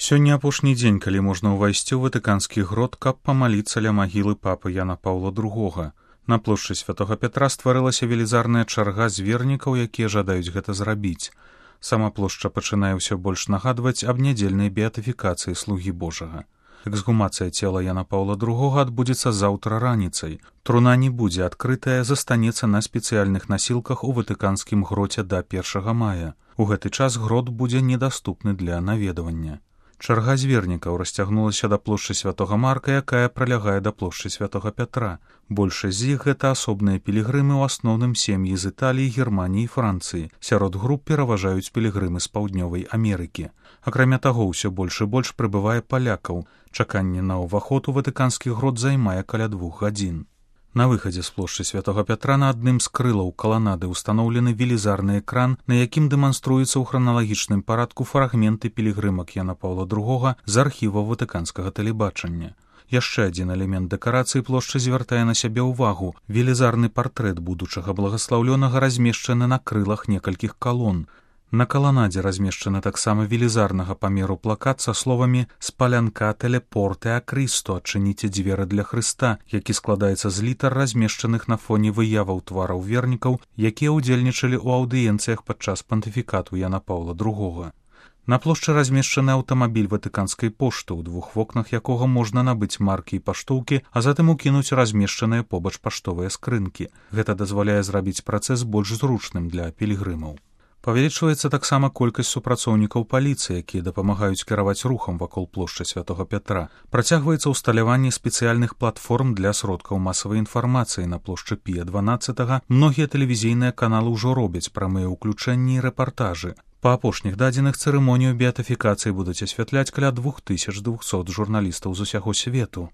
Сёння апошні дзень, калі можна ўвайсці ў ватыканскі грот, каб памаліцца ля магілы папы Яна Паўла II. На плошчы Святога Пятра стварылася велізарная чарга з вернікаў, якія жадаюць гэта зрабіць. Сама плошча пачынае ўсё больш нагадваць аб нядзельнай беатыфікацыі слугі Божага. Эксгумацыя цела Яна Паўла II адбудзецца заўтра раніцай. Труна не будзе адкрытая, застанецца на спецыяльных насілках у ватыканскім гроце да 1 мая. У гэты час грот будзе недаступны для наведвання. Чарга з вернікаў расцягнулася да плошчы Святога Марка, якая пралягае да плошчы Святога Пятра. Большасць з іх гэта асобныя пілігрымы, у асноўным сем'і з Італіі, Германіі і Францыі. Сярод груп пераважаюць пілігрымы з Паўднёвай Амерыкі. Акрамя таго, ўсё больш і больш прыбывае палякаў. Чаканне на ўваход у ватыканскі грот займае каля 2 гадзін. На выхадзе з плошчы Святога Пятра на адным з крылаў каланады ўстаноўлены велізарны экран, на якім дэманструецца ў храналагічным парадку фрагменты пілігрымак Яна Паўла II з архіваў ватыканскага тэлебачання. Яшчэ адзін элемент дэкарацыі плошчы звяртае на сябе ўвагу. Велізарны партрэт будучага благаслаўлёнага размешчаны на крылах некалькіх калон. На каланадзе размешчаны таксама велізарнага памеру плакат са словамі «Спалянкателе порте а Кристо» «Адчыніце дзверы для Хрыста», які складаецца з літар, размешчаных на фоне выяваў твараў вернікаў, якія ўдзельнічалі ў аўдыенцыях падчас пантыфікату Яна Паўла II. На плошчы размешчаны аўтамабіль ватыканскай пошты, у 2 вокнах якога можна набыць маркі і паштоўкі, а затым укінуць размешчаныя побач паштовыя скрынкі. Гэта дазваляе зрабіць працэс больш зручным для пілігрымаў. Павялічваецца таксама колькасць супрацоўнікаў паліцыі, якія дапамагаюць кіраваць рухам вакол плошчы Святога Пятра. Працягваецца ўсталяванне спецыяльных платформ для сродкаў масавай інфармацыі на плошчы Пія XII. Многія тэлевізійныя каналы ўжо робяць прамыя ўключэнні і рэпартажы. Па апошніх дадзеных цырымонію беатыфікацыі будуць асвятляць каля 2200 журналістаў з усяго свету.